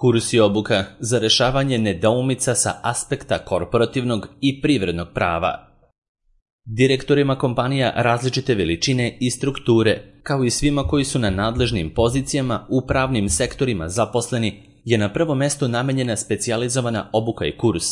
Kurs i obuka za rešavanje nedoumica sa aspekta korporativnog i privrednog prava. Direktorima kompanija različite veličine i strukture, kao i svima koji su na nadležnim pozicijama u pravnim sektorima zaposleni, je na prvo mesto namenjena specijalizovana obuka i kurs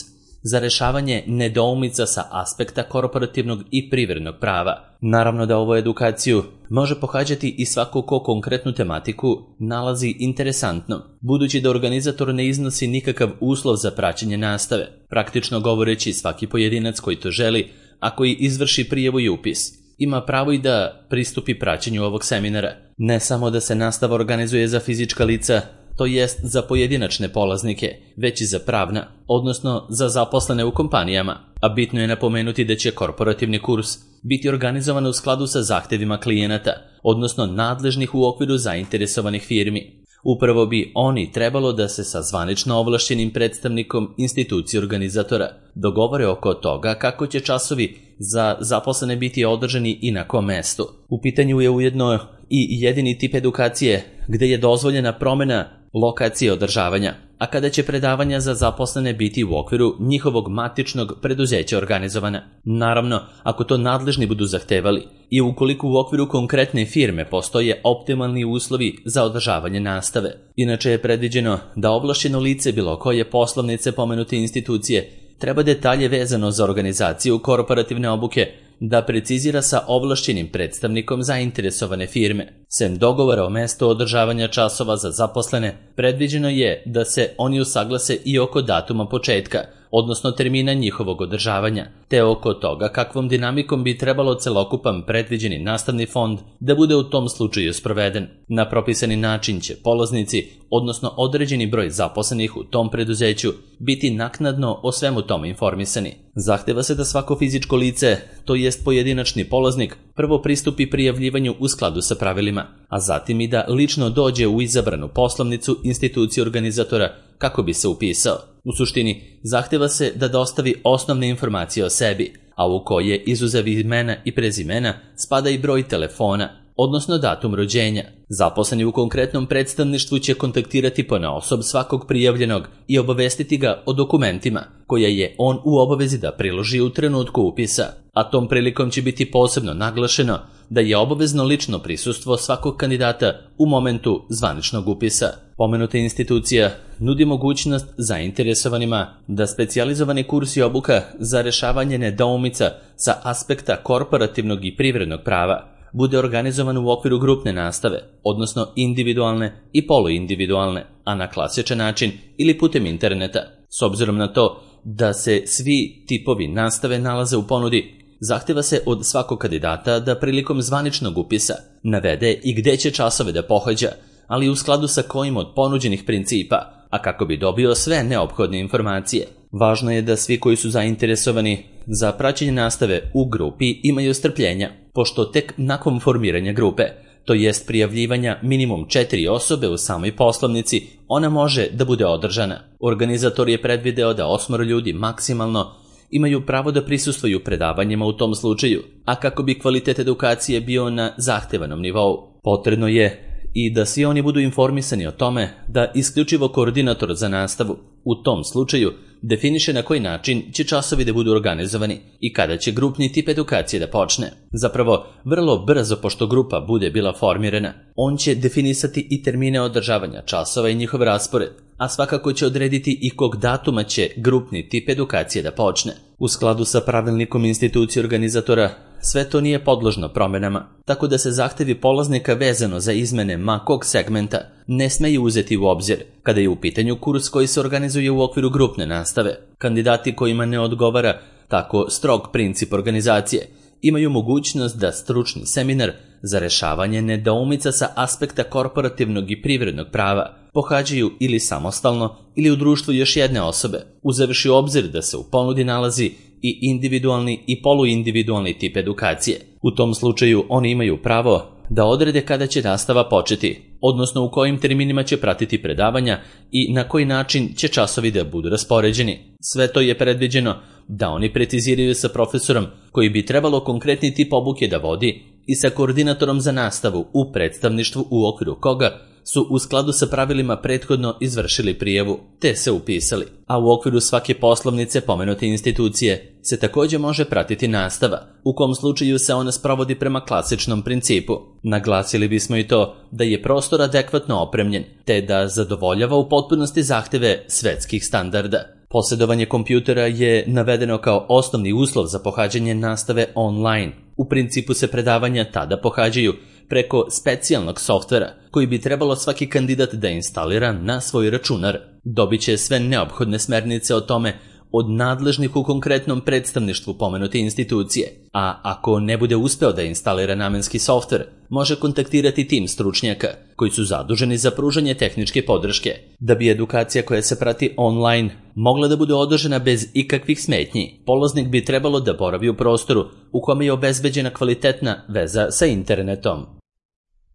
za rešavanje nedoumica sa aspekta korporativnog i privrednog prava. Naravno da ovu edukaciju može pohađati i svako ko konkretnu tematiku nalazi interesantnom, budući da organizator ne iznosi nikakav uslov za praćenje nastave. Praktično govoreći, svaki pojedinac koji to želi, a koji izvrši prijavu i upis, ima pravo i da pristupi praćenju ovog seminara. Ne samo da se nastava organizuje za fizička lica, to jest za pojedinačne polaznike, već i za pravna, odnosno za zaposlene u kompanijama, a bitno je napomenuti da će korporativni kurs biti organizovan u skladu sa zahtevima klijenata, odnosno nadležnih u okviru zainteresovanih firmi. Upravo bi oni trebalo da se sa zvanično ovlašćenim predstavnikom institucije organizatora dogovore oko toga kako će časovi za zaposlene biti održani i na kom mestu. U pitanju je ujedno i jedini tip edukacije gde je dozvoljena promena lokacije održavanja, a kada će predavanja za zaposlene biti u okviru njihovog matičnog preduzeća organizovana. Naravno, ako to nadležni budu zahtevali i ukoliko u okviru konkretne firme postoje optimalni uslovi za održavanje nastave. Inače je predviđeno da ovlašćeno lice bilo koje poslovnice pomenute institucije treba detalje vezano za organizaciju korporativne obuke da precizira sa ovlašćenim predstavnikom zainteresovane firme. Sem dogovora o mestu održavanja časova za zaposlene, predviđeno je da se oni usaglase i oko datuma početka, odnosno termina njihovog održavanja, te oko toga kakvom dinamikom bi trebalo celokupan predviđeni nastavni fond da bude u tom slučaju sproveden. Na propisani način će polaznici, odnosno određeni broj zaposlenih u tom preduzeću, biti naknadno o svemu tome informisani. Zahteva se da svako fizičko lice, to jest pojedinačni polaznik, prvo pristupi prijavljivanju u skladu sa pravilima, a zatim i da lično dođe u izabranu poslovnicu institucije organizatora kako bi se upisao. U suštini, zahteva se da dostavi osnovne informacije o sebi, a u koje, izuzev imena i prezimena, spada i broj telefona, odnosno datum rođenja. Zaposleni u konkretnom predstavništvu će kontaktirati ponaosob svakog prijavljenog i obavestiti ga o dokumentima koje je on u obavezi da priloži u trenutku upisa, a tom prilikom će biti posebno naglašeno da je obavezno lično prisustvo svakog kandidata u momentu zvaničnog upisa. Pomenuta institucija nudi mogućnost zainteresovanima da specijalizovani kurs i obuka za rešavanje nedoumica sa aspekta korporativnog i privrednog prava bude organizovan u okviru grupne nastave, odnosno individualne i poluindividualne, a na klasičan način ili putem interneta. S obzirom na to da se svi tipovi nastave nalaze u ponudi, zahteva se od svakog kandidata da prilikom zvaničnog upisa navede i gde će časove da pohađa, ali u skladu sa kojim od ponuđenih principa, a kako bi dobio sve neophodne informacije. Važno je da svi koji su zainteresovani za praćenje nastave u grupi imaju strpljenja, pošto tek nakon formiranja grupe, to jest prijavljivanja minimum 4 osobe u samoj poslovnici, ona može da bude održana. Organizator je predvideo da 8 ljudi maksimalno imaju pravo da prisustvuju predavanjima u tom slučaju, a kako bi kvalitet edukacije bio na zahtevanom nivou. Potrebno je i da svi oni budu informisani o tome da isključivo koordinator za nastavu u tom slučaju definiše na koji način će časovi da budu organizovani i kada će grupni tip edukacije da počne. Zapravo, vrlo brzo pošto grupa bude bila formirana, on će definisati i termine održavanja časova i njihov raspored, a svakako će odrediti i kog datuma će grupni tip edukacije da počne. U skladu sa pravilnikom institucije organizatora, sve to nije podložno promenama, tako da se zahtevi polaznika vezano za izmene ma kog segmenta ne smeju uzeti u obzir kada je u pitanju kurs koji se organizuje u okviru grupne nastave. Kandidati kojima ne odgovara tako strog princip organizacije imaju mogućnost da stručni seminar za rešavanje nedoumica sa aspekta korporativnog i privrednog prava pohađaju ili samostalno ili u društvu još jedne osobe, uzevši u obzir da se u ponudi nalazi i individualni i poluindividualni tip edukacije. U tom slučaju oni imaju pravo da odrede kada će nastava početi, odnosno u kojim terminima će pratiti predavanja i na koji način će časovi da budu raspoređeni. Sve to je predviđeno da oni preciziraju sa profesorom koji bi trebalo konkretni tip obuke da vodi i sa koordinatorom za nastavu u predstavništvu u okviru koga su u skladu sa pravilima prethodno izvršili prijavu, te se upisali, a u okviru svake poslovnice pomenute institucije se također može pratiti nastava, u kom slučaju se ona sprovodi prema klasičnom principu. Naglasili bismo i to da je prostor adekvatno opremljen, te da zadovoljava u potpunosti zahteve svetskih standarda. Posjedovanje kompjutera je navedeno kao osnovni uslov za pohađanje nastave online. U principu se predavanja tada pohađaju preko specijalnog softvera koji bi trebalo svaki kandidat da instalira na svoj računar. Dobit će sve neophodne smernice o tome od nadležnih u konkretnom predstavništvu pomenute institucije, a ako ne bude uspeo da instalira namenski softver, može kontaktirati tim stručnjaka koji su zaduženi za pružanje tehničke podrške. Da bi edukacija koja se prati online mogla da bude održana bez ikakvih smetnji, polaznik bi trebalo da boravi u prostoru u kome je obezbeđena kvalitetna veza sa internetom.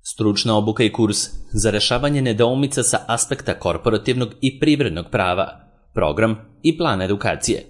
Stručna obuka i kurs za rešavanje nedoumica sa aspekta korporativnog i privrednog prava, program i plan edukacije.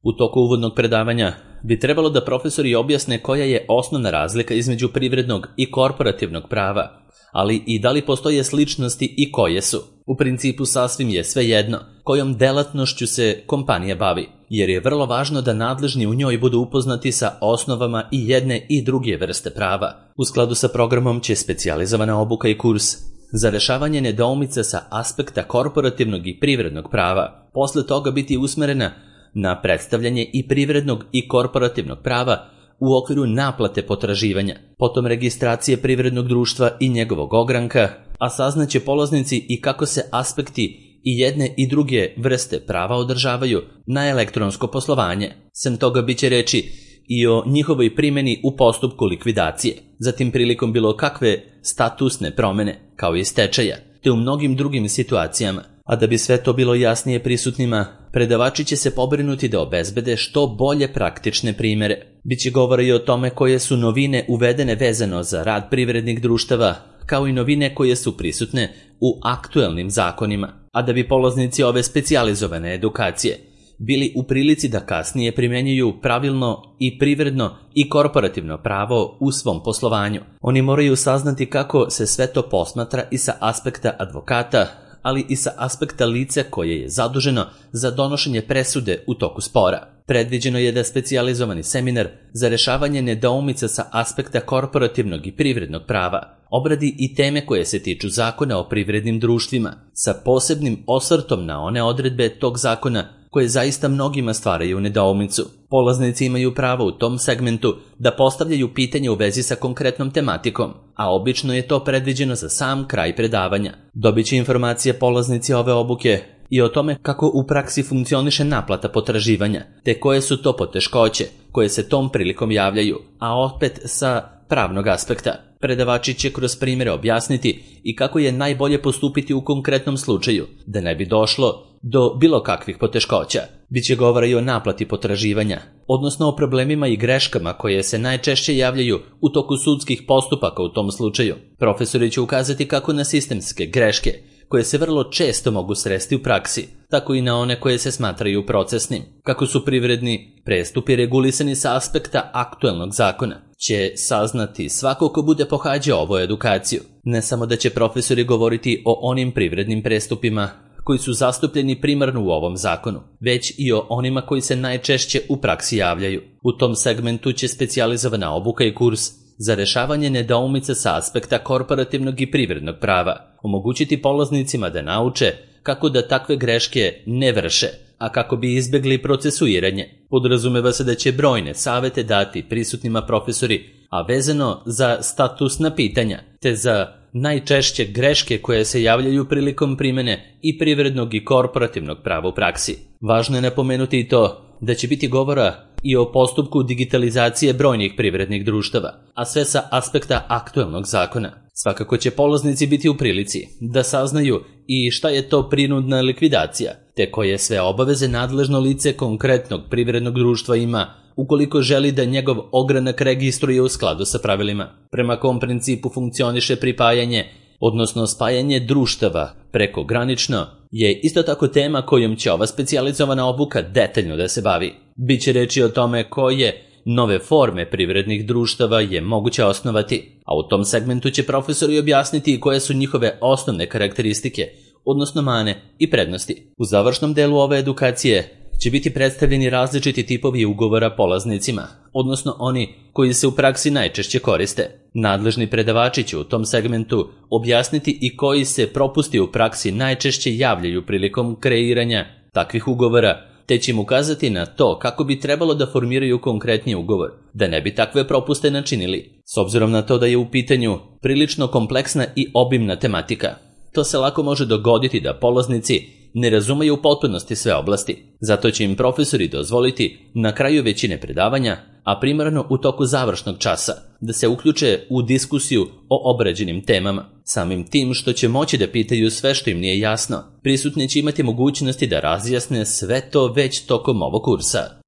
U toku uvodnog predavanja bi trebalo da profesori objasne koja je osnovna razlika između privrednog i korporativnog prava, ali i da li postoje sličnosti i koje su. U principu sasvim je svejedno kojom delatnošću se kompanija bavi, jer je vrlo važno da nadležni u njoj budu upoznati sa osnovama i jedne i druge vrste prava. U skladu sa programom će specijalizovana obuka i kurs za rešavanje nedoumica sa aspekta korporativnog i privrednog prava posle toga biti usmerena na predstavljanje i privrednog i korporativnog prava u okviru naplate potraživanja, potom registracije privrednog društva i njegovog ogranka, a saznaće polaznici i kako se aspekti i jedne i druge vrste prava održavaju na elektronsko poslovanje. Sem toga biće reči i o njihovoj primjeni u postupku likvidacije, zatim prilikom bilo kakve statusne promene, kao i stečaja, te u mnogim drugim situacijama. A da bi sve to bilo jasnije prisutnima, predavači će se pobrinuti da obezbede što bolje praktične primjere. Biće govora i o tome koje su novine uvedene vezano za rad privrednih društava, kao i novine koje su prisutne u aktuelnim zakonima, a da bi polaznici ove specijalizovane edukacije bili u prilici da kasnije primjenjuju pravilno i privredno i korporativno pravo u svom poslovanju. Oni moraju saznati kako se sve to posmatra i sa aspekta advokata, ali i sa aspekta lica koje je zaduženo za donošenje presude u toku spora. Predviđeno je da specijalizovani seminar za rešavanje nedoumica sa aspekta korporativnog i privrednog prava obradi i teme koje se tiču zakona o privrednim društvima, sa posebnim osvrtom na one odredbe tog zakona koje zaista mnogima stvaraju nedoumicu. Polaznici imaju pravo u tom segmentu da postavljaju pitanje u vezi sa konkretnom tematikom, a obično je to predviđeno za sam kraj predavanja. Dobit će informacije polaznici ove obuke i o tome kako u praksi funkcioniše naplata potraživanja, te koje su to poteškoće koje se tom prilikom javljaju, a opet sa pravnog aspekta. Predavači će kroz primjere objasniti i kako je najbolje postupiti u konkretnom slučaju, da ne bi došlo do bilo kakvih poteškoća. Biće govora i o naplati potraživanja, odnosno o problemima i greškama koje se najčešće javljaju u toku sudskih postupaka u tom slučaju. Profesori će ukazati kako na sistemske greške, koje se vrlo često mogu sresti u praksi, tako i na one koje se smatraju procesnim. Kako su privredni prestupi regulisani sa aspekta aktuelnog zakona, će saznati svako ko bude pohađao ovu edukaciju. Ne samo da će profesori govoriti o onim privrednim prestupima koji su zastupljeni primarno u ovom zakonu, već i o onima koji se najčešće u praksi javljaju. U tom segmentu će specijalizovana obuka i kurs za rešavanje nedoumica sa aspekta korporativnog i privrednog prava omogućiti polaznicima da nauče kako da takve greške ne vrše, a kako bi izbjegli procesuiranje. Podrazumeva se da će brojne savete dati prisutnima profesori, a vezano za statusna pitanja, te za najčešće greške koje se javljaju prilikom primjene i privrednog i korporativnog prava u praksi. Važno je napomenuti i to da će biti govora i o postupku digitalizacije brojnih privrednih društava, a sve sa aspekta aktuelnog zakona. Svakako će polaznici biti u prilici da saznaju i šta je to prinudna likvidacija, te koje sve obaveze nadležno lice konkretnog privrednog društva ima ukoliko želi da njegov ogranak registruje u skladu sa pravilima. Prema kom principu funkcioniše pripajanje, odnosno spajanje društava prekogranično, je isto tako tema kojom će ova specijalizovana obuka detaljno da se bavi. Biće reči o tome koje nove forme privrednih društava je moguće osnovati, a u tom segmentu će profesori objasniti koje su njihove osnovne karakteristike, odnosno mane i prednosti. U završnom delu ove edukacije će biti predstavljeni različiti tipovi ugovora polaznicima, odnosno oni koji se u praksi najčešće koriste. Nadležni predavači će u tom segmentu objasniti i koji se propusti u praksi najčešće javljaju prilikom kreiranja takvih ugovora, te će im ukazati na to kako bi trebalo da formiraju konkretni ugovor, da ne bi takve propuste načinili. S obzirom na to da je u pitanju prilično kompleksna i obimna tematika, to se lako može dogoditi da polaznici ne razumeju u potpunosti sve oblasti. Zato će im profesori dozvoliti na kraju većine predavanja, a primarno u toku završnog časa, da se uključe u diskusiju o obrađenim temama. Samim tim što će moći da pitaju sve što im nije jasno, prisutni će imati mogućnosti da razjasne sve to već tokom ovog kursa.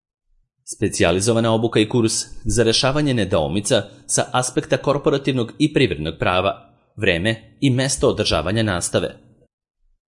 Specijalizovana obuka i kurs za rešavanje nedoumica sa aspekta korporativnog i privrednog prava, vreme i mesto održavanja nastave.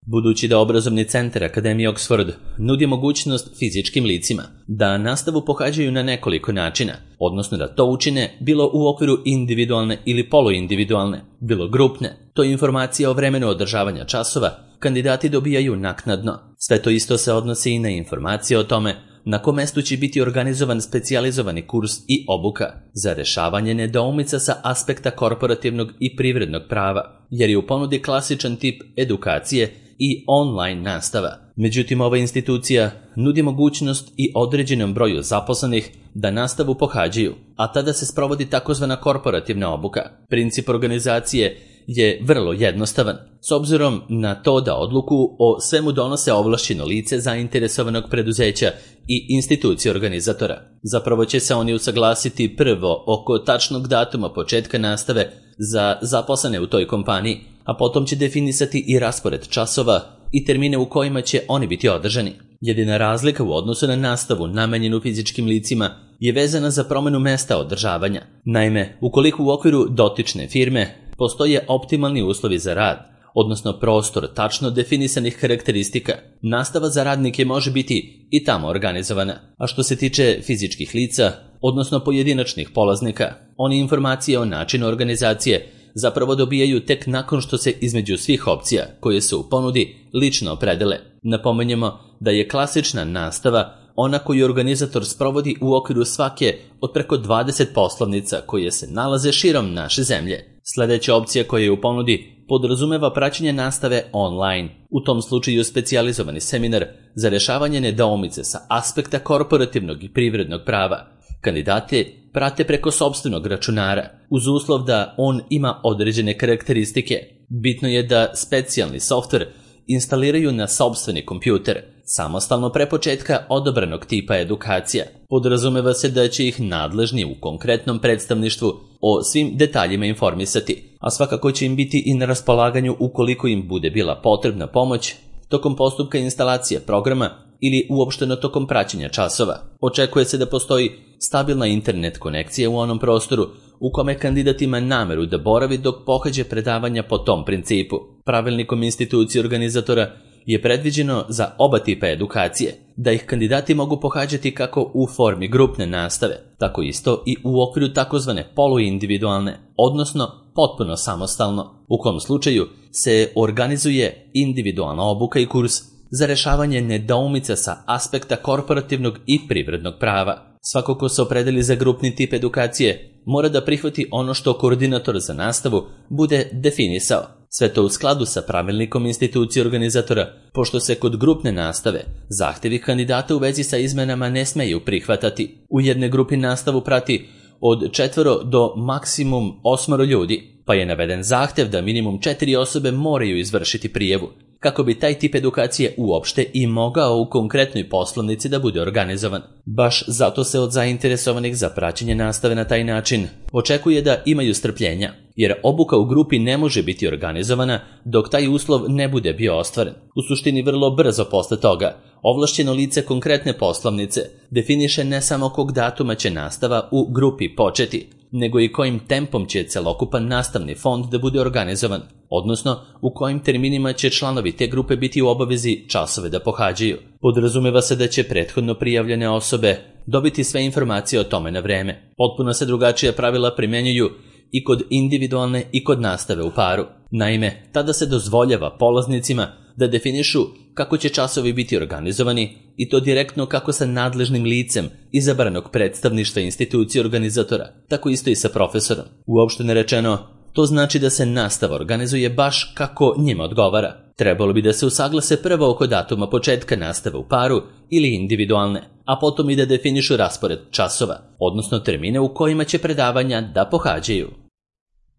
Budući da obrazovni centar Akademije Oxford nudi mogućnost fizičkim licima da nastavu pohađaju na nekoliko načina, odnosno da to učine bilo u okviru individualne ili poluindividualne, bilo grupne, to je informacija o vremenu održavanja časova, kandidati dobijaju naknadno. Sve to isto se odnosi i na informacije o tome na kom mestu će biti organizovan specijalizovani kurs i obuka za rešavanje nedoumica sa aspekta korporativnog i privrednog prava, jer je u ponudi klasičan tip edukacije i online nastava. Međutim, ova institucija nudi mogućnost i određenom broju zaposlenih da nastavu pohađaju, a tada se sprovodi takozvana korporativna obuka. Princip organizacije je vrlo jednostavan, s obzirom na to da odluku o svemu donose ovlašćeno lice zainteresovanog preduzeća i institucije organizatora. Zapravo će se oni usaglasiti prvo oko tačnog datuma početka nastave za zaposlene u toj kompaniji, a potom će definisati i raspored časova i termine u kojima će oni biti održani. Jedina razlika u odnosu na nastavu namenjenu fizičkim licima je vezana za promenu mesta održavanja. Naime, ukoliko u okviru dotične firme postoje optimalni uslovi za rad, odnosno prostor tačno definisanih karakteristika, nastava za radnike može biti i tamo organizovana. A što se tiče fizičkih lica, odnosno pojedinačnih polaznika, oni informacije o načinu organizacije zapravo dobijaju tek nakon što se između svih opcija koje su u ponudi lično opredele. Napomenjemo da je klasična nastava ona koju organizator sprovodi u okviru svake od preko 20 poslovnica koje se nalaze širom naše zemlje. Sljedeća opcija koja je u ponudi podrazumeva praćenje nastave online. U tom slučaju specijalizovani seminar za rešavanje nedoumice sa aspekta korporativnog i privrednog prava. Kandidate prate preko sopstvenog računara, uz uslov da on ima određene karakteristike. Bitno je da specijalni softver instaliraju na sopstveni kompjuter, samostalno pre početka odabranog tipa edukacija. Podrazumeva se da će ih nadležni u konkretnom predstavništvu o svim detaljima informisati, a svakako će im biti i na raspolaganju ukoliko im bude bila potrebna pomoć tokom postupka instalacije programa ili uopšteno tokom praćenja časova. Očekuje se da postoji stabilna internet konekcija u onom prostoru u kome kandidat ima nameru da boravi dok pohađa predavanja po tom principu. Pravilnikom institucije organizatora je predviđeno za oba tipa edukacije da ih kandidati mogu pohađati kako u formi grupne nastave, tako isto i u okviru takozvane poluindividualne, odnosno potpuno samostalno, u kom slučaju se organizuje individualna obuka i kurs za rešavanje nedoumica sa aspekta korporativnog i privrednog prava. Svako ko se opredeli za grupni tip edukacije mora da prihvati ono što koordinator za nastavu bude definisao. Sve to u skladu sa pravilnikom institucije organizatora, pošto se kod grupne nastave zahtevi kandidata u vezi sa izmenama ne smeju prihvatati. U jednoj grupi nastavu prati od 4 do maksimum 8 ljudi, pa je naveden zahtev da minimum 4 osobe moraju izvršiti prijavu, kako bi taj tip edukacije uopšte i mogao u konkretnoj poslovnici da bude organizovan. Baš zato se od zainteresovanih za praćenje nastave na taj način očekuje da imaju strpljenja, jer obuka u grupi ne može biti organizovana dok taj uslov ne bude bio ostvaren. U suštini vrlo brzo posle toga, ovlašćeno lice konkretne poslovnice definiše ne samo kog datuma će nastava u grupi početi, nego i kojim tempom će celokupan nastavni fond da bude organizovan, odnosno u kojim terminima će članovi te grupe biti u obavezi časove da pohađaju. Podrazumeva se da će prethodno prijavljene osobe dobiti sve informacije o tome na vreme. Potpuno se drugačija pravila primjenjuju i kod individualne i kod nastave u paru. Naime, tada se dozvoljava polaznicima da definišu kako će časovi biti organizovani i to direktno kako sa nadležnim licem izabranog predstavništva institucije organizatora, tako isto i sa profesorom. Uopšteno rečeno, to znači da se nastava organizuje baš kako njima odgovara. Trebalo bi da se usaglase prvo oko datuma početka nastave u paru ili individualne, a potom i da definišu raspored časova, odnosno termine u kojima će predavanja da pohađaju.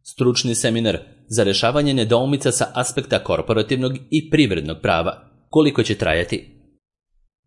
Stručni seminar za rešavanje nedoumica sa aspekta korporativnog i privrednog prava. Koliko će trajati?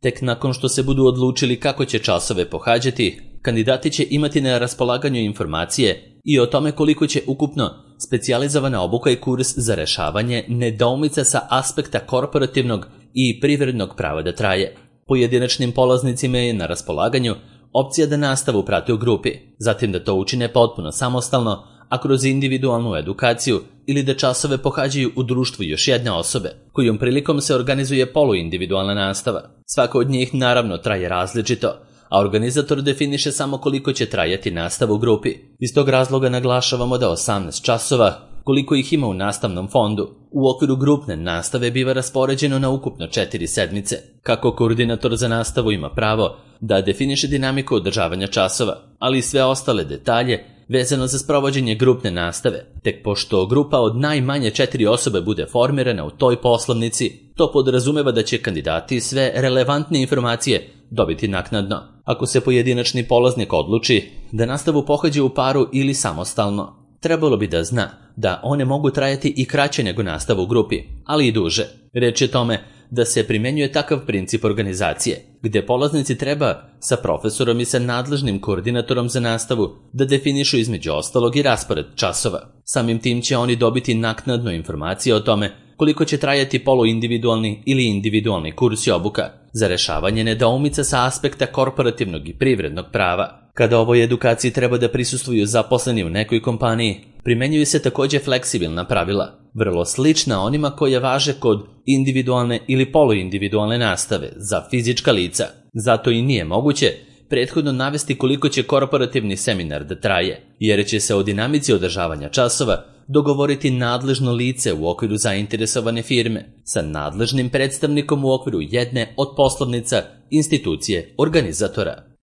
Tek nakon što se budu odlučili kako će časove pohađati, kandidati će imati na raspolaganju informacije i o tome koliko će ukupno specijalizovana obuka i kurs za rešavanje nedoumica sa aspekta korporativnog i privrednog prava da traje. Pojedinačnim polaznicima je na raspolaganju opcija da nastavu prate u grupi, zatim da to učine potpuno samostalno, a kroz individualnu edukaciju ili da časove pohađaju u društvu još jedne osobe, kojom prilikom se organizuje poluindividualna nastava. Svaka od njih naravno traje različito, a organizator definiše samo koliko će trajati nastava u grupi. Iz tog razloga naglašavamo da 18 časova, koliko ih ima u nastavnom fondu, u okviru grupne nastave biva raspoređeno na ukupno 4 sedmice. Kako koordinator za nastavu ima pravo da definiše dinamiku održavanja časova, ali i sve ostale detalje vezano za sprovođenje grupne nastave, tek pošto grupa od najmanje 4 osobe bude formirana u toj poslovnici, to podrazumeva da će kandidati sve relevantne informacije dobiti naknadno. Ako se pojedinačni polaznik odluči da nastavu pohađa u paru ili samostalno, trebalo bi da zna da one mogu trajati i kraće nego nastavu u grupi, ali i duže. Reč je tome da se primenjuje takav princip organizacije, gde polaznici treba sa profesorom i sa nadležnim koordinatorom za nastavu da definišu između ostalog i raspored časova. Samim tim će oni dobiti naknadno informacije o tome koliko će trajati poluindividualni ili individualni kurs i obuka za rešavanje nedoumica sa aspekta korporativnog i privrednog prava. Kada ovoj edukaciji treba da prisustvuju zaposleni u nekoj kompaniji, primenjuju se takođe fleksibilna pravila, vrlo slična onima koja važe kod individualne ili poluindividualne nastave za fizička lica. Zato i nije moguće prethodno navesti koliko će korporativni seminar da traje, jer će se o dinamici održavanja časova dogovoriti nadležno lice u okviru zainteresovane firme sa nadležnim predstavnikom u okviru jedne od poslovnica institucije organizatora.